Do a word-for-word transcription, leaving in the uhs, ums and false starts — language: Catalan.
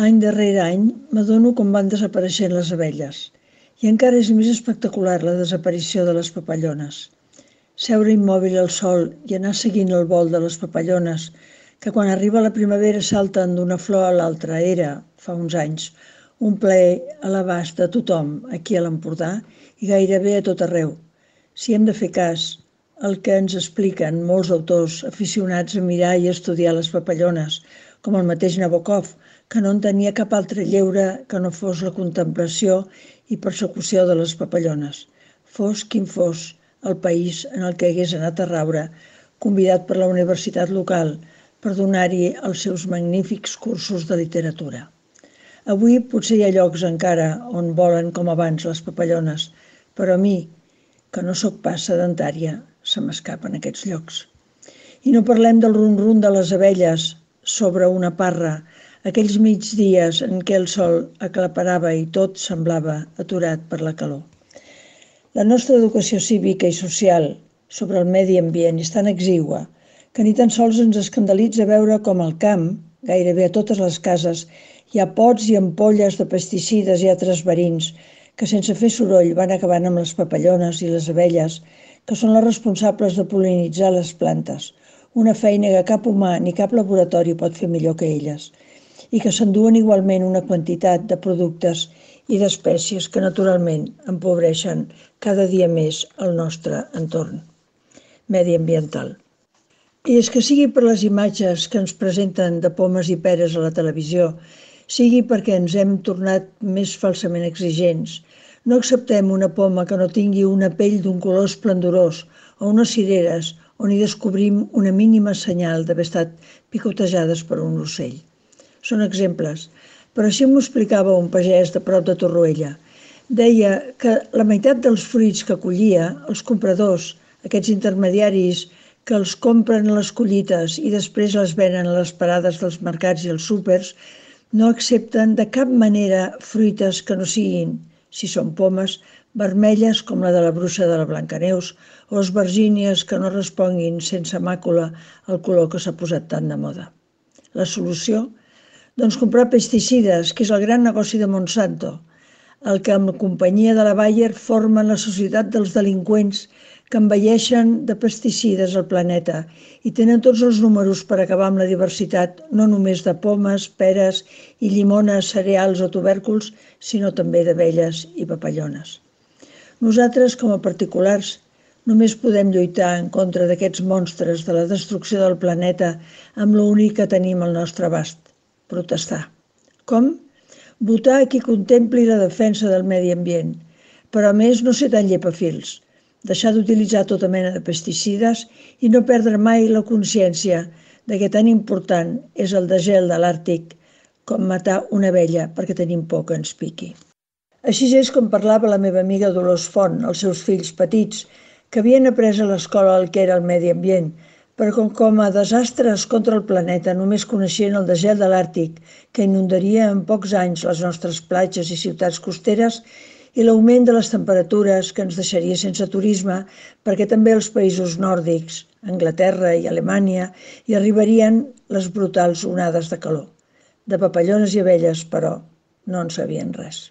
Any darrere any m'adono com van desapareixent les abelles i encara és més espectacular la desaparició de les papallones. Seure immòbil al sol i anar seguint el vol de les papallones, que quan arriba la primavera salten d'una flor a l'altra, era, fa uns anys, un plaer a l'abast de tothom aquí a l'Empordà i gairebé a tot arreu. Si hem de fer cas el que ens expliquen molts autors aficionats a mirar i estudiar les papallones, com el mateix Nabokov, que no en tenia cap altre lleure que no fos la contemplació i persecució de les papallones, fos quin fos el país en el que hagués anat a raure, convidat per la universitat local per donar-hi els seus magnífics cursos de literatura. Avui potser hi ha llocs encara on volen com abans les papallones, però a mi, que no sóc pas sedentària, se m'escapen aquests llocs. I no parlem del rum-rum de les abelles sobre una parra, aquells migdies en què el sol aclaparava i tot semblava aturat per la calor. La nostra educació cívica i social sobre el medi ambient és tan exigua que ni tan sols ens escandalitza veure com al camp, gairebé a totes les cases, hi ha pots i ampolles de pesticides i altres verins que sense fer soroll van acabant amb les papallones i les abelles, que són les responsables de pol·linitzar les plantes, una feina que cap humà ni cap laboratori pot fer millor que elles, i que s'enduen igualment una quantitat de productes i d'espècies que naturalment empobreixen cada dia més el nostre entorn mediambiental. I és que sigui per les imatges que ens presenten de pomes i peres a la televisió, sigui perquè ens hem tornat més falsament exigents, no acceptem una poma que no tingui una pell d'un color esplendorós o unes cireres on hi descobrim una mínima senyal d'haver estat picotejades per un ocell. Són exemples, però així m'ho explicava un pagès de prop de Torroella. Deia que la meitat dels fruits que collia, els compradors, aquests intermediaris que els compren a les collites i després les venen a les parades dels mercats i els súpers, no accepten de cap manera fruites que no siguin, si són pomes, vermelles com la de la bruixa de la Blancaneus o esvergínies que no responguin sense màcula al color que s'ha posat tan de moda. La solució? Doncs comprar pesticides, que és el gran negoci de Monsanto, el que amb la companyia de la Bayer formen la societat dels delinqüents que envelleixen de pesticides al planeta i tenen tots els números per acabar amb la diversitat no només de pomes, peres i llimones, cereals o tubèrculs, sinó també d'abelles i papallones. Nosaltres, com a particulars, només podem lluitar en contra d'aquests monstres de la destrucció del planeta amb l'únic que tenim al nostre abast, protestar. Com? Votar a qui contempli la defensa del medi ambient, però a més no ser tan llepafils, deixar d'utilitzar tota mena de pesticides i no perdre mai la consciència de que tan important és el degel de l'Àrtic com matar una abella perquè tenim por que ens piqui. Així és com parlava la meva amiga Dolors Font, als seus fills petits, que havien après a l'escola el que era el medi ambient, però com, com a desastres contra el planeta només coneixien el degel de l'Àrtic, que inundaria en pocs anys les nostres platges i ciutats costeres, i l'augment de les temperatures que ens deixaria sense turisme, perquè també als països nòrdics, Anglaterra i Alemanya, hi arribarien les brutals onades de calor. De papallones i abelles, però, no en sabien res.